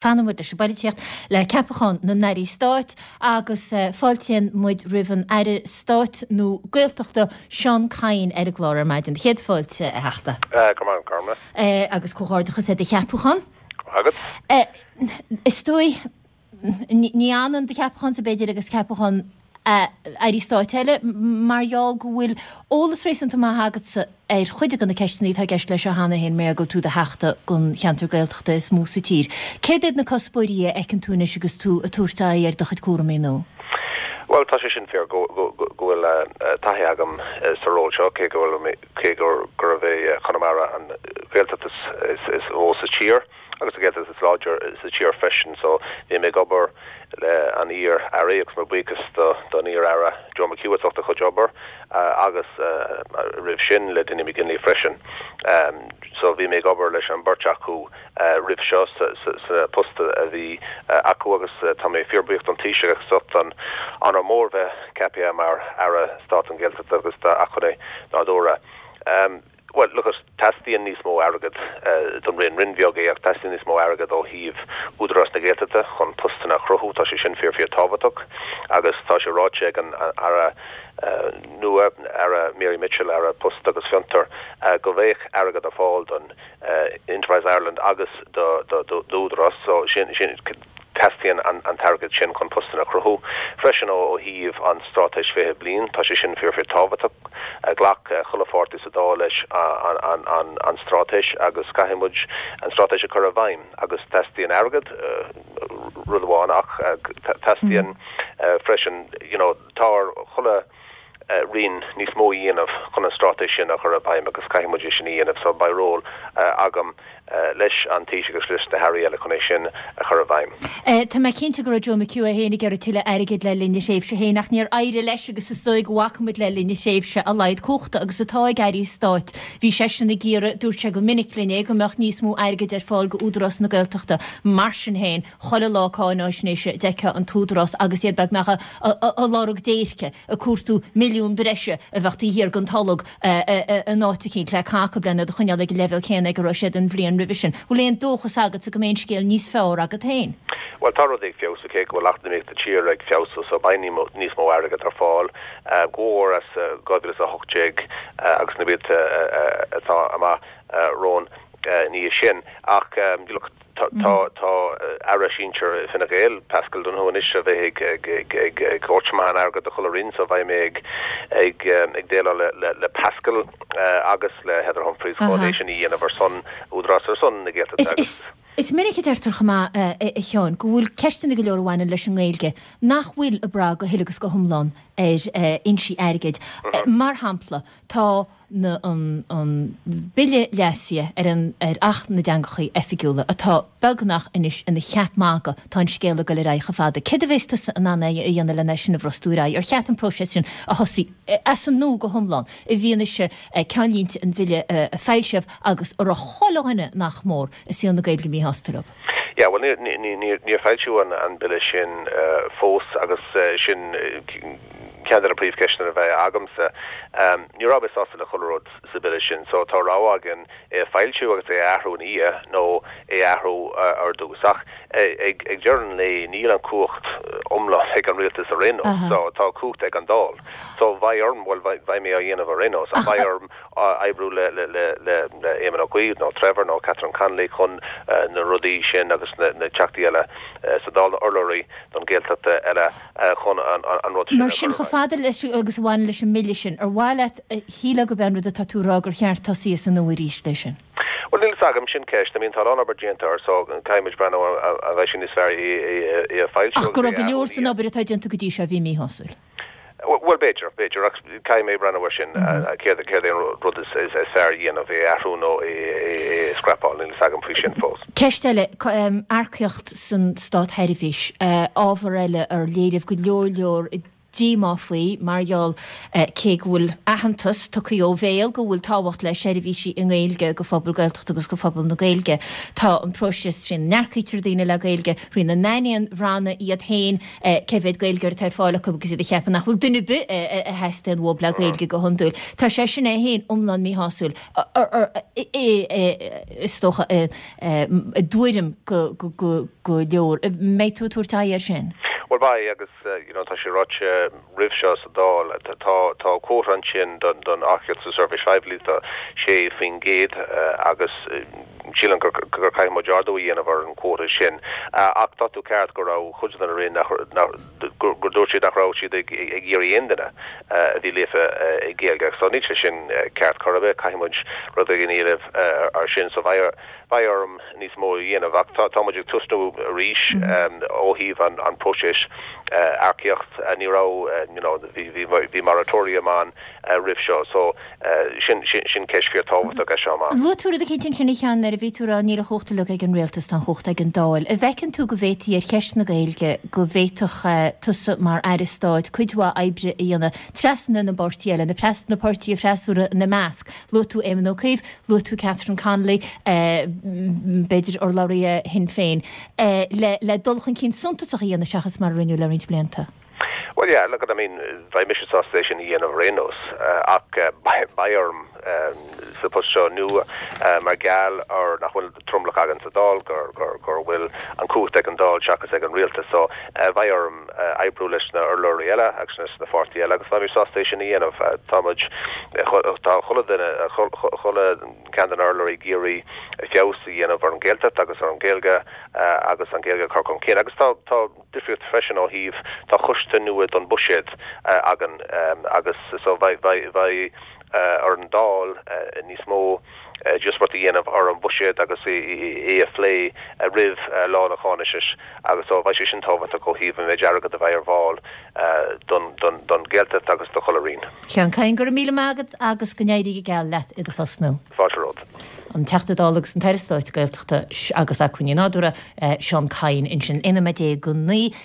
Fanann muid leis an bpoilitíocht, le ceapachán na n-airí stáit agus fáiltíonn muid roimh an Aire Stáit nó Gaeltachta, Seán Kyne ar an gclár ar maidin. Céad fáilte, a Theachta. Go raibh maith agat, Gormlaith. Agus comhghairdeachas ar do cheapachán. Go raibh maith agat. Is dóigh, ní ionann do cheapachánsa, b'fhéidir, agus ceapachán Airí Stáit eile, mar gheall go bhfuil eolas réasúnta maith agatsa ar chuid de na ceisteanna atá i gceist leis seo cheana féin, mar go bhfuil tú i do Theachta don cheantar Gaeltachta is mó sa tír. Céard iad na cuspóirí a fheiceann tú anois agus tú ag tabhairt aghaidh ar do chuid cúramaí nua? Bhuel, tá sé sin fíor go bhfuil taithí agam sa ról seo, cé go bhfuil, cé gurbh é Conamara an Ghaeltacht is mó sa tír. agus an Ghaeltacht is láidre sa tír freisin so bhí mé ag obair le an iar Aire agus mo buíochas do don iar Aire Joe McHugh as ucht a chuid obair agus roimh sin le Dinny McGinley freisin. So bhí mé ag obair leis an beirt acu roimh seo sa post a bhí acu agus tá mé fíor buíoch don Taoiseach as ucht an onóir mór bheith ceaptha mar Aire Stáit don Ghaeltacht agus d'Acmhainní Nádúrtha. Bhuel, look it, teastaíonn níos mó airgead don Roinn. Roinn bheag é ach teastaíonn níos mó airgead ó thaobh Údarás na Gaeltachta chun postanna a chruthú. Tá sé sin fíor fíor tábhachtach agus tá sé ráite ag an Aire nua, Aire Mary Mitchell, Aire Post agus Fiontar, go mbeadh airgead ar fáil don Enterprise Ireland agus d'Údarás. So sin, sin. Teastaíonn an t-airgead sin chun postanna a chruthú. Freisin ó thaobh an Straitéis 20 Bliain, tá sé sin fíor fíor tábhachtach. Ghlac chuile pháirtí sa Dáil leis an straitéis agus caithfidh muid an straitéis a chur i bhfeidhm agus teastaíonn airgead, rud amháin, ach teastaíonn freisin, you know, tá ar chuile roinn níos mó a dhéanamh chun an straitéis sin a chur i bhfeidhm agus caithfidh muid é sin a dhéanamh so beidh ról agam leis an Taoiseach agus leis na hairí eile chun é sin a chur i bhfeidhm. Tá mé cinnte go raibh Joe McHugh é féin ag iarraidh tuilleadh airgid le linn a thréimhse féin ach níor éirigh leis agus is dóigh go bhfaca muid le linn a thréimhse a laghad cumhachta agus atá ag airí stáit. Bhí seisean ag iarraidh, dúirt sé go minic linn é, go mbeadh níos mó airgid ar fáil go Údarás na Gaeltachta. Mar sin féin, chuile lá cáináisnéise d'fheicfeá an tÚdarás agus iad beagnach ag lorg déirce, ag cuartú milliún breise a bheadh taobh thiar den tolg in áit eicínt le caitheamh acu lena iad a choinneáil ag an leibhéal céanna ag a raibh siad an bhliain roimhe sin. Bhfuil aon dóchas agatsa go mbeidh an scéal níos fearr agat féin? Bhuel, tá rudaí ag feabhsú, cé go bhfuil eacnamaíocht na tíre ag feabhsú, so beidh níos mó airgead ar fáil, go mór as 2018 agus na blianta atá amach romhainn ina dhiaidh sin. Ach, look, Tá tá Aire Sinsir Fine Gael, Paschal Donohoe anois a bheidh ag ag ag ag tabhairt amach an airgead do chuile roinn so beidh mé ag ag ag déileáil le le Paschal agus le Heather Humphreys chun é sin a dhéanamh ar son Údarás ar son na Gaeltachta agus. Is minic a deirtear chomh maith, a Sheáin, go bhfuil ceisteanna go leor a bhaineann leis an nGaeilge nach bhfuil ag brath go huile agus go hiomlán ar fhoinsí airgid. Mar shampla, tá na an an Bille leasaithe ar an ar Acht na dTeangachaí Oifigiúla atá beagnach anois ina cheap magaidh, tá an scéal ag dul ar aghaidh chomh fada. Céard a bheas tusa in ann a dhéanamh lena sin a bhrostú ar aghaidh? Ar cheart an próiseas sin a thosaí as an nua go hiomlán i bhfianaise ceannlínte an Bhille a foilsíodh agus a raibh chuile dhuine nach mór i saol na Gaeilge míshásta leo? Yeah, bhuel níor níor níor foilsíodh an an Bille sin fós agus sin ceann de na príomhcheisteanna a bheidh agamsa. Ní raibh mé sásta le chuile rud sa Bille sin so tá rogha againn é a foilsiú agus é a athrú ina dhiaidh nó é a athrú ar dtús. Ach ag deireadh an lae níl an cumhacht iomlán ag an rialtas ar aon nós so tá cumhacht ag an Dáil. So beidh orm, bhuel beidh mé á dhéanamh ar aon nós ach beidh orm oibriú le le Éamon Ó Cuív nó Trevor nó Catherine Connolly chun na rudaí sin agus na teachtaí eile sa Dáil, na urlabhraí don Ghaeltacht eile. chun an rud sin a chur i bhfeidhm. Mar sin, chomh fada leis agus a bhaineann leis an mBille sin, ar mhaith leat, shílfeá gurb é an rud atá tú a rá gur cheart tosaí as an nua arís leis sin? Bhuel, níl fhios agam, sin ceist. I mean, tá a lán obair déanta air so caithfidh muid breathnú an mbeidh sé níos fearr é a foilsiú Ach go raibh go leor san obair atá déanta go dtí seo a bhí míshásúil. Bhuel, b'fhéidir, b'fhéidir, ach caithfidh mé breathnú air sin, céard céard é an rud is fearr a dhéanamh, é a athrú nó é a scrapáil, níl fhios agam faoi sin fós. Ceist eile, earcaíocht san státsheirbhís, ábhar eile ar léiríodh go leor leor i. díomá faoi mar gheall cé go bhfuil aitheantas tugtha ó bhéal go bhfuil tábhacht le seirbhísí i nGaeilge go phobal Gaeltachta agus go phobal na Gaeilge, tá an próiseas trína n-earcaítear daoine le Gaeilge, thrína n-aithníonn ranna iad féin cé mhéad Gaeilgeoir atá ar fáil acu agus iad a cheapadh nach bhfuil duine ar bith a theastaíonn uathu le Gaeilge go hiondúil. Tá sé sin é féin iomlán míshásúil, is dócha, i dtuairim go leor. Mbeidh tú ag tabhairt aghaidh air sin? Bhuel beidh agus you know tá sé ráite roimh seo sa Dáil, tá tá quota ansin don don earcaíocht sa seirbhís phoiblí tá 6% agus sílim gur gur caithfidh muid ardú a dhéanamh ar an quota sin. Ach tá tú ceart go raibh cuid de na Roinn nach nach gur gur dúirt siad nach raibh siad ag ag iarraidh aon duine a bhí líofa i Gaeilge. So níl sé sin ceart chor ar bith, caithfidh muid rud éigin a dhéanamh ar sin. So beidh beidh orm níos mó a dhéanamh ach tá muid ag tosnú arís ó thaobh an próiseas earcaíocht. Ní raibh you know bhí bhí moratorium ann roimh seo so sin sin ceist fíor tábhachtach as seo amach. Luaigh tú rud eicínt ansin a Sheáin nuair a bhí tú ag rá níl an chumhacht uilig ag an rialtas, tá an chumhacht ag an Dáil. An bhfeiceann tú go bhféadfaí ar cheist na Gaeilge go bhféadfadh tusa mar Aire Stáit cuid mhaith oibre a dhéanamh trasna na bpáirtithe eile, na na páirtithe freasúra ina measc? Luaigh tú Éamon Ó Cuív, Luaigh tú Catherine Connolly, b'fhéidir urlabhraithe Shinn Féin, le dul chun cinn suntasach a dhéanamh seachas mar a rinneadh le roinnt blianta. Bhuel yeah, look, I mean, bheadh mise sásta é sin a dhéanamh ar aon nós, ach beidh orm sa phost seo nua mar gheall ar nach bhfuil tromlach againn sa Dáil, gur bhfuil an chumhacht ag an Dáil seachas ag an rialtas. So beidh orm oibriú leis na urlabhraí eile agus leis na pháirtí eile agus beidh mé sásta é sin a dhéanamh. Tá muid, tá chuile duine, chuile ceann de na urlabhraí ag iarraidh feabhas a dhéanamh ar an Ghaeltacht agus ar an Ghaeilge agus an Ghaeilge a chur chun cinn agus tá, tá difríocht freisin ó thaobh, tá coiste nua don bhuiséad againn agus so beidh, beidh, beidh ar an Dáil níos mó díospóireacht a dhéanamh ar an bhuiséad agus é a phlé roimh lá na cáinaisnéise agus so beidh sé sin tábhachtach ó thaobh an méid airgead a bheidh ar fáil don Ghaeltacht agus do chuile roinn. Seán Kyne, go raibh míle maith agat agus go n-éirí go geal leat i do phost nua. Fáilte romhat. An Teachta Dála agus an tAire Stáit Gaeltachta agus Acmhainní Nádúrtha, Seán Kyne ansin, 11 nóiméad go 9.